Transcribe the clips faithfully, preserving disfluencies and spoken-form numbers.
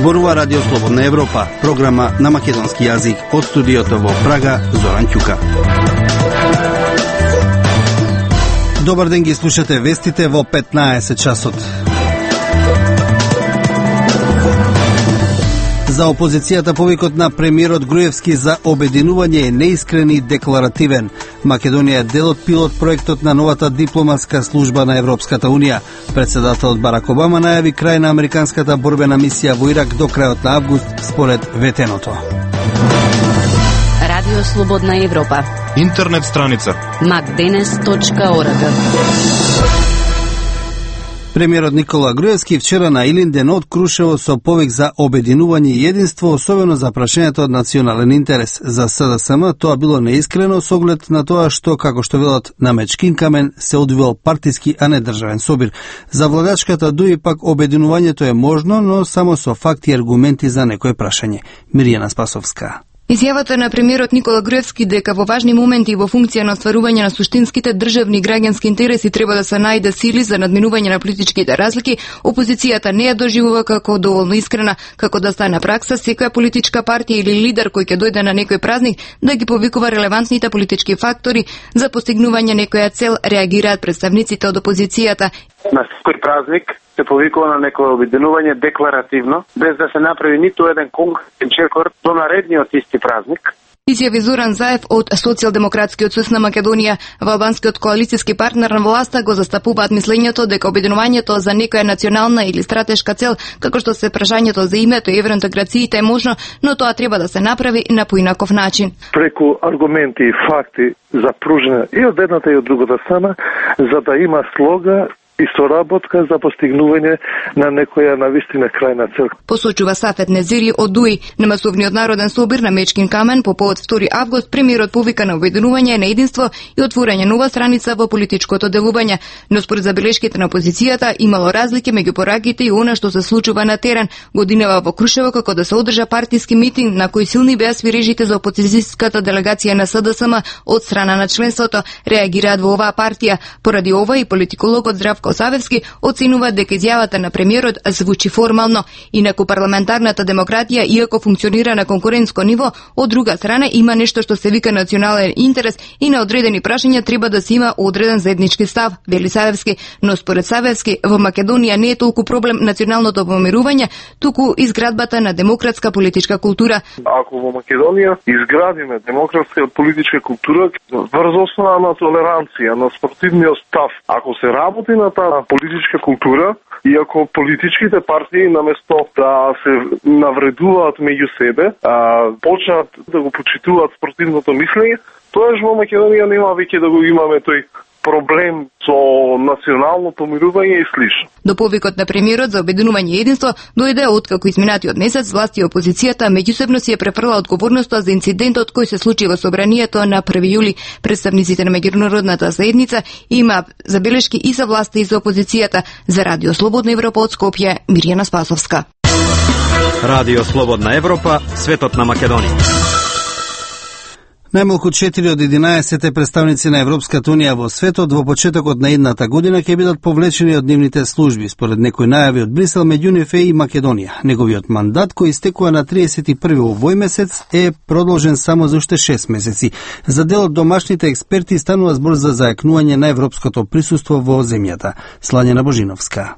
Зборува Радио Слободна Европа, програма на македонски јазик од студиото во Прага, Зоран Ќука. Добар ден, ги слушате вестите во петнаесет часот. За опозицијата повикот на премиерот Груевски за обединување е неискрен и декларативен. Македонија е дел од пилот проектот на новата дипломатска служба на Европската Унија. Председателот Барак Обама најави крај на американската борбена мисија во Ирак до крајот на август според ветеното. Радио Слободна Европа. Интернет страница макденес точка орг. Премиерот Никола Груевски вчера на Илинден од Крушево со повик за обединување и единство, особено за прашањето од национален интерес. За СДСМ тоа било неискрено со оглед на тоа што, како што велат на мечкин камен, се одвил партиски, а не државен собир. За владачката ДУИ пак обединувањето е можно, но само со факти и аргументи за некое прашање. Миријана Спасовска. Изјавата на премиерот Никола Груевски дека во важни моменти и во функција на остварување на суштинските државни и граѓански интереси треба да се најде сили за надминување на политичките разлики, опозицијата не ја доживува како доволно искрена, како да стане пракса секоја политичка партија или лидер кој ќе дојде на некој празник да ги повикува релевантните политички фактори за постигнување некоја цел, реагираат представниците од опозицијата. На секој празник се повикува на некое обединување декларативно, без да се направи ниту еден конкретен чекор до наредниот исти празник. Изјави Зоран Заев од Социјалдемократскиот сојуз на Македонија. Во албанскиот коалициски партнер на власта го застапуваат мислењето дека обединувањето за некоја национална или стратешка цел, како што се прашањето за името и евроинтеграциите е можно, но тоа треба да се направи на поинаков начин. Преку аргументи и факти за пружина и од едната и од другата страна, за да има слога и соработка за постигнување на некоја навистина крајна цел. Посочува Сафет Незири од ДУИ. На масовниот народен собир на Мечкин камен по повод втори август премиерот повика на обединување на единство и отворање нова страница во политичкото делување. Но според забелешките на опозицијата имало разлики меѓу пораките и она што се случува на терен. Годинава во Крушево како да се одржа партиски митинг на кој силни беа свирежите за опозицијската делегација на СДСМ од страна на членството, реагираат во оваа партија. Поради ова и политикологот Здравко Савевски оценува дека изјавата на премиерот звучи формално. Инаку парламентарната демократија, иако функционира на конкурентско ниво, од друга страна има нешто што се вика национален интерес и на одредени прашања треба да се има одреден заеднички став, вели Савевски. Но според Савевски, во Македонија не е толку проблем националното помирување, туку изградбата на демократска политичка култура. Ако во Македонија изградиме демократска политичка култура врз основа на толеранција, на спортивниот став, ако се работи на таа политичка култура, и ако политичките партии наместо да се навредуваат меѓу себе, а, почнат да го почитуваат спортивното мислење, тоаш во Македонија нема веќе да го имаме тој проблем со национално помирување и слично. До повикот на премиерот за обединување и единство дојде откако изминатиот месец власти и опозицијата меѓусебно си ја префрла одговорноста за инцидентот кој се случи во собранието на први јули. Представниците на меѓународната заедница има забелешки и за власта и за опозицијата. За Радио Слободна Европа од Скопје, Миријана Спасовска. Радио Слободна Европа, светот на Македонија. Најмалку четири од единаесет представници на Европската Унија во светот во почетокот на едната година ќе бидат повлечени од нивните служби, според некои најави од Брисел, меѓу нив е и Македонија. Неговиот мандат, кој истекува на триесет и први овој месец, е продолжен само за уште шест месеци. За дел од домашните експерти станува збор за зајакнување на европското присуство во земјата. Слањена Божиновска.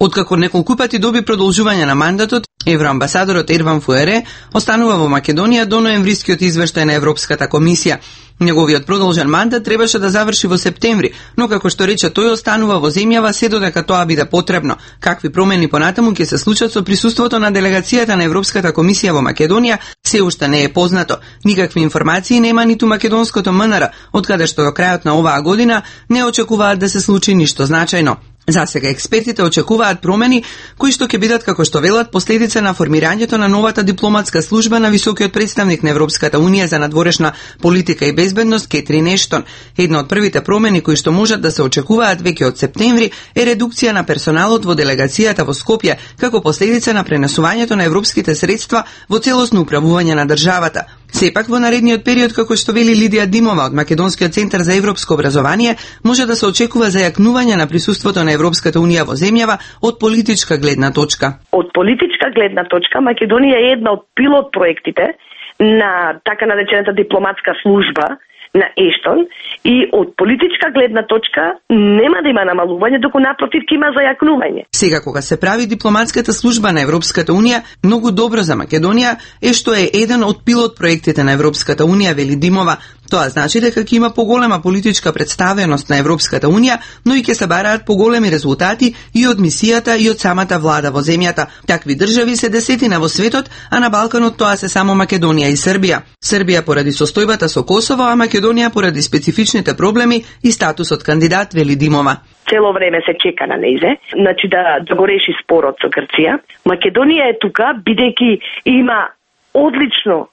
Откако неколку пати доби продолжување на мандатот, евроамбасадорот Ерван Фуере останува во Македонија до ноемврискиот извештај на Европската комисија. Неговиот продолжен мандат требаше да заврши во септември, но како што рече тој останува во земјава се додека тоа биде потребно. Какви промени понатаму ќе се случат со присуството на делегацијата на Европската комисија во Македонија се уште не е познато. Никакви информации нема ниту македонското МНР, откаде што до крајот на оваа година не очекуваат да се случи ништо значајно. Засега експертите очекуваат промени кои што ќе бидат, како што велат, последица на формирањето на новата дипломатска служба на високиот представник на Европската Унија за надворешна политика и безбедност Кетрин Ештон. Една од првите промени кои што можат да се очекуваат веќе од септември е редукција на персоналот во делегацијата во Скопје како последица на пренесувањето на европските средства во целосно управување на државата. Сепак во наредниот период, како што вели Лидија Димова од Македонскиот центар за европско образование, може да се очекува зајакнување на присуството на Европската унија во земјава од политичка гледна точка. Од политичка гледна точка Македонија е една од пилот проектите на така наречената дипломатска служба на Ештон и од политичка гледна точка нема да има намалување, доку напротив ќе има зајакнување. Сега кога се прави дипломатската служба на Европската унија, многу добро за Македонија е што е еден од пилот проектите на Европската унија, вели Димова. Тоа значи дека ќе има поголема политичка представеност на Европската унија, но и ќе се бараат поголеми резултати и од мисијата и од самата влада во земјата. Такви држави се десетина во светот, а на Балканот тоа се само Македонија и Србија. Србија поради состојбата со Косово, а Македонија поради специфичните проблеми и статусот кандидат, вели Димова. Цело време се чека на нејзе, значи да, да го реши спорот со Грција. Македонија е тука, бидејќи има одлично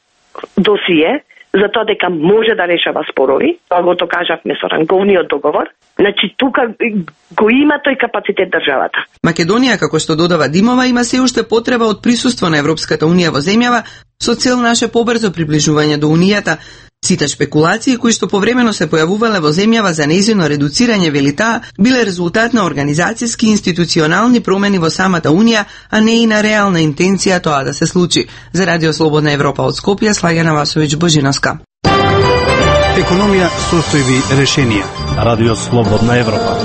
досие, за тоа дека може да решава спорови, тоа го то кажавме со ранговниот договор, значи тука го има тој капацитет државата. Македонија, како што додава Димова, има се уште потреба од присуство на Европската унија во земјава со цел наше побрзо приближување до унијата. Сите шпекулации кои што повремено се појавувале во земјава за нејзино редуцирање, вели таа, биле резултат на организацијски и институционални промени во самата Унија, а не и на реална интенција тоа да се случи. За Радио Слободна Европа од Скопје, Слагена Васовиќ Божиновска. Економија, состојби, решенија. Радио Слободна Европа.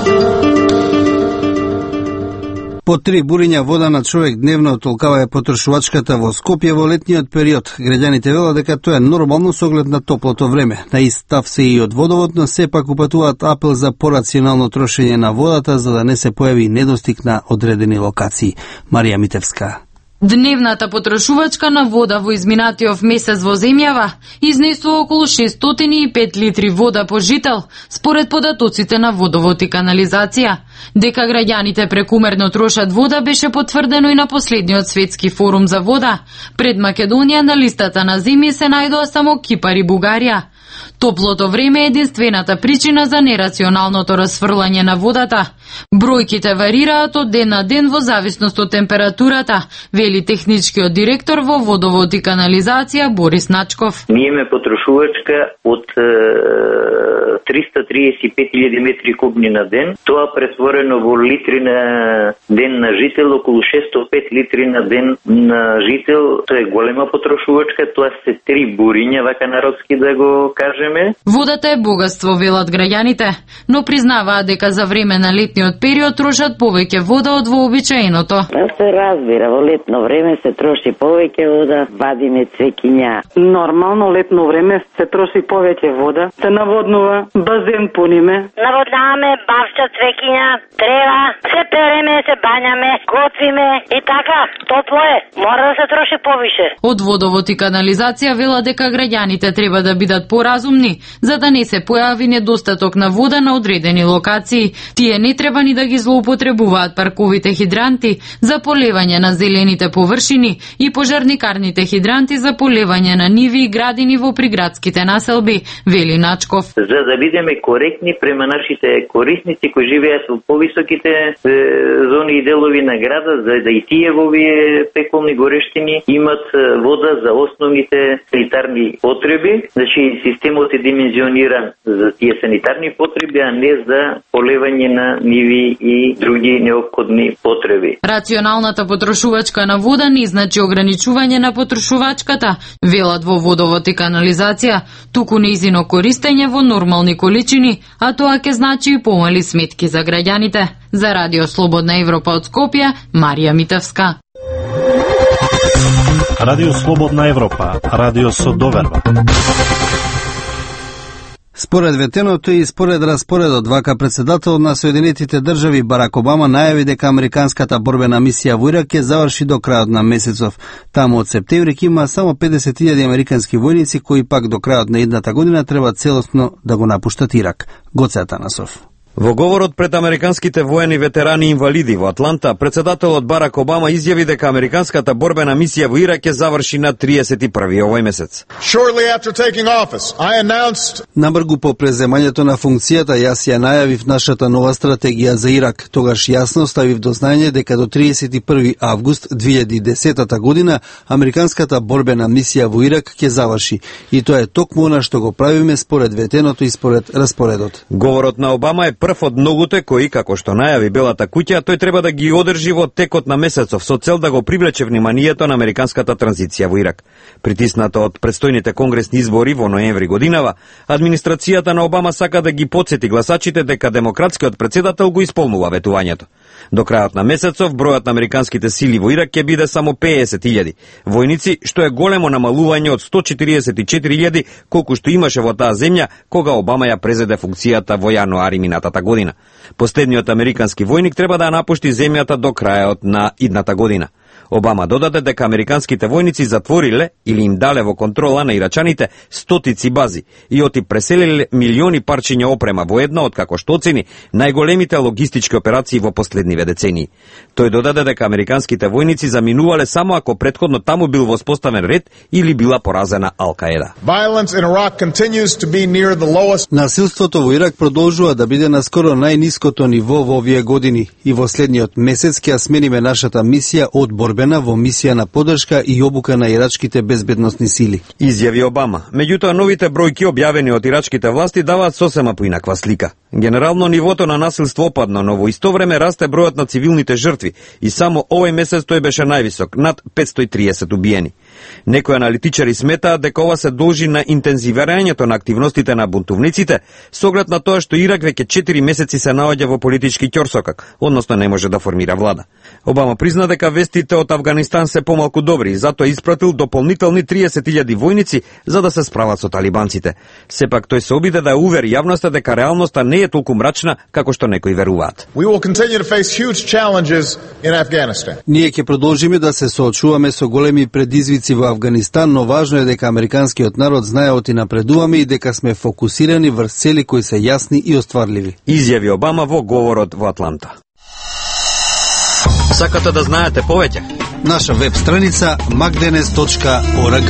По три буриња вода на човек дневно толкава е потрошувачката во Скопје во летниот период. Граѓаните велат дека тоа е нормално со оглед на топлото време. На ист став се и од водовод, но сепак упатуваат апел за порационално трошење на водата за да не се појави недостиг на одредени локации. Марија Митевска. Дневната потрошувачка на вода во изминатиот месец во земјава изнесува околу шестстотини и пет литри вода по жител, според податоците на водовод и канализација. Дека граѓаните прекумерно трошат вода беше потврдено и на последниот светски форум за вода. Пред Македонија на листата на земји се најдоа само Кипар и Бугарија. Топлото време е единствената причина за нерационалното расфрлање на водата. Бројките варираат од ден на ден во зависност од температурата, вели техничкиот директор во водовод и канализација Борис Начков. Ние имаме потрошувачка од е, триста триесет и пет илјади метри кубни на ден. Тоа претворено во литри на ден на жител, околу шестстотини и пет литри на ден на жител. Тоа е голема потрошувачка, тоа се три буриња, вака народски да го кажеме. Водата е богатство, велат граѓаните, но признаваат дека за време на летниот период трошат повеќе вода од вообичаеното. Да се разбира, во летно време се троши повеќе вода, вадиме цвеќиња. Нормално летно време се троши повеќе вода, се наводнува, базен пуниме. Наводнаваме бавча, цвеќиња, трева, се переме, се бањаме, готвиме и така, топло е, мора да се троши повише. Од водовод и канализација вела дека граѓаните треба да бидат поразумни, за да не се појави недостаток на вода на одредени локации. Тие не треба ни да ги злоупотребуваат парковите хидранти за полевање на зелените површини и пожарникарните хидранти за полевање на ниви и градини во приградските населби, вели Начков. За да бидеме коректни према нашите корисници кои живеат во повисоките е, зони и делови на града, за да и тие во овие пеколни горештини имат вода за основните санитарни потреби. Значи системот е димензиониран за тие санитарни потреби, а не за полевање на ниви и други неопходни потреби. Рационалната потрошувачка на вода не значи ограничување на потрошувачката, велат во водовод и канализација, туку нејзино користење во нормални количини, а тоа ќе значи и помали сметки за граѓаните. За Радио Слободна Европа од Скопје, Марија Митевска. Радио Слободна Европа, радио со доверба. Според ветеното и според распоредот, вака председател на Соединетите држави Барак Обама најави дека американската борбена мисија во Ирак ќе заврши до крајот на месецов. Таму од септември ќе има само педесет илјади американски војници кои пак до крајот на идната година треба целосно да го напуштат Ирак. Гоце Атанасов. Во говорот пред американските воени ветерани и инвалиди во Атланта, председателот Барак Обама изјави дека американската борбена мисија во Ирак ќе заврши на триесет и први овој месец. Announced... Набргу по преземањето на функцијата, јас ја најавив нашата нова стратегија за Ирак. Тогаш јасно ставив до знаење дека до триесет и први август две илјади и десета година американската борбена мисија во Ирак ќе заврши. И тоа е токму она што го правиме според ветеното и според распоредот. Говорот на Обама е прв од многуте кои, како што најави Белата куќа, тој треба да ги одржи во текот на месецов со цел да го привлече вниманието на американската транзиција во Ирак. Притисната од предстојните конгресни избори во ноември годинава, администрацијата на Обама сака да ги потсети гласачите дека демократскиот председател го исполнува ветувањето. До крајот на месецов бројот на американските сили во Ирак ќе биде само песет илјади војници, што е големо намалување од сто четиридесет и четири илјади колку што имаше во таа земја кога Обама ја презеде функцијата во јануари минатата година. Последниот американски војник треба да ја напушти земјата до крајот на идната година. Обама додаде дека американските војници затвориле или им дале во контрола на ирачаните стотици бази и оти преселиле милиони парчиња опрема во една од, како што оцени, најголемите логистички операции во последниве децении. Тој додаде дека американските војници заминувале само ако претходно таму бил воспоставен ред или била поразена Ал-Каеда. Насилството во Ирак продолжува да биде на скоро најниското ниво во овие години и во следниот месец ќе смениме нашата мисија од борбена во мисија на поддршка и обука на ирачките безбедносни сили. Изјави Обама. Меѓутоа, новите бројки објавени од ирачките власти даваат сосема поинаква слика. Генерално нивото на насилство опадна, но во исто време расте бројот на цивилните жртви и само овој месец тој беше највисок, над петстотини и триесет убиени. Некои аналитичари сметаат дека ова се должи на интензивирањето на активностите на бунтовниците, со оглед на тоа што Ирак веќе четири месеци се наоѓа во политички ќорсокак, односно не може да формира влада. Обама призна дека вестите од Авганистан се помалку добри и затоа испратил дополнителни триесет илјади војници за да се справат со талибанците. Сепак тој се обиде да увери јавноста дека реалноста не е толку мрачна како што некои веруваат. Ние ќе продолжиме да се соочуваме со големи предизвици во Авганистан, но важно е дека американскиот народ знае оти напредуваме и дека сме фокусирани врз цели кои се јасни и остварливи. Изјави Обама во говорот во Атланта. Сакате да знаете повеќе? Наша веб страница макденес точка орг.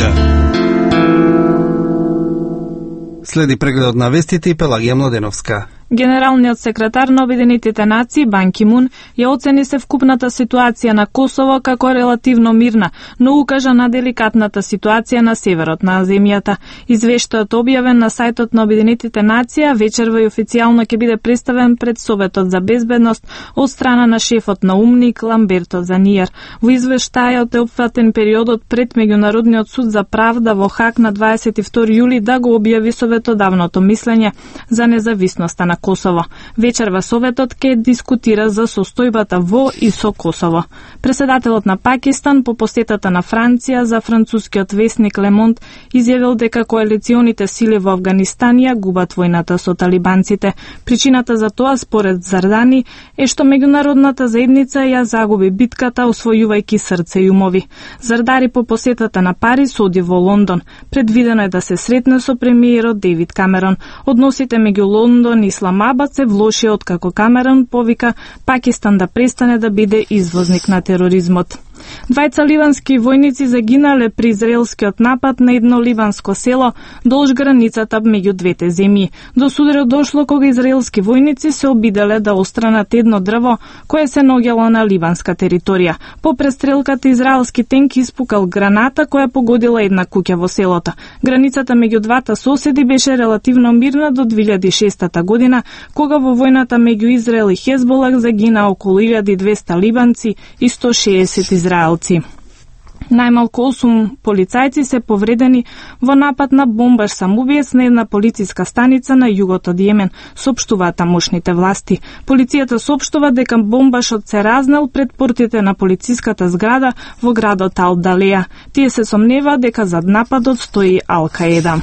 Следи прегледот на вестите и Пелагија Младеновска. Генералниот секретар на Обединетите нации Бан Ки Мун ја оцени севкупната ситуација на Косово како релативно мирна, но укажа на деликатната ситуација на северот на земјата. Извештајот објавен на сајтот на Обединетите нации вечерва и официјално ќе биде представен пред Советот за безбедност од страна на шефот на УМНИК Ламберто Заниер. Во извештајот е опфатен периодот пред Меѓународниот суд за правда во Хаг на дваесет и втори јули да го објави советодавното мислење за независноста на Косово. Вечерва Советот ќе дискутира за состојбата во и со Косово. Преседателот на Пакистан по посетата на Франција за францускиот весник Ле Монд изјавил дека коалиционите сили во Авганистан ја губат војната со талибанците. Причината за тоа, според Зардани, е што меѓународната заедница ја загуби битката освојувајќи срце и умови. Зардари по посетата на Париз оди во Лондон. Предвидено е да се сретне со премиерот Девид Камерон. Односите меѓу Лондон и Исламабад се влошија откако Камерон повика Пакистан да престане да биде извозник на тероризмот. Двајца ливански војници загинале при израелскиот напад на едно ливанско село долж границата меѓу двете земји. До сударот дошло кога израелски војници се обиделе да остранат едно дрво кое се наоѓало на ливанска територија. По престрелката израелски тенк испукал граната која погодила една куќа во селото. Границата меѓу двата соседи беше релативно мирна до две илјади и шеста година, кога во војната меѓу Израел и Хезболах загина околу илјада и двесте ливанци и сто и шеесет израелци. Најмалку осум полицајци се повредени во напад на бомбаш самоубиец на една полициска станица на југот од Јемен, соопштуваат тамошните власти. Полицијата соопштува дека бомбашот се разнел пред портите на полициската зграда во градот Ал-Далеја. Тие се сомневаат дека зад нападот стои Ал-Каеда.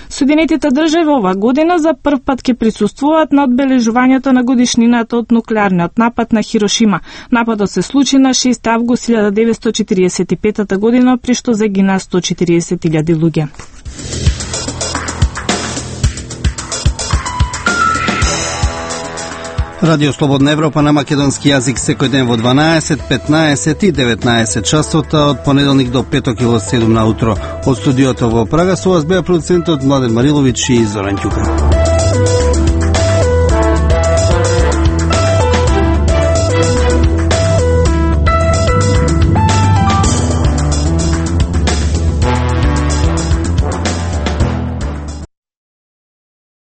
Соединетите држави ова година за прв пат ќе присуствуваат на одбележувањето на годишнината од нуклеарниот напад на Хирошима. Нападот се случи на шести август илјада деветстотини четиридесет и пета година, при што загина сто и четиридесет илјади луѓе. Радио Слободна Европа на македонски јазик секој ден во дванаесет, петнаесет и деветнаесет часота од понеделник до петок и во седум наутро. Од студиото во Прага со вас беа продуцентот Младен Мариловиќ и Зоран Ќука.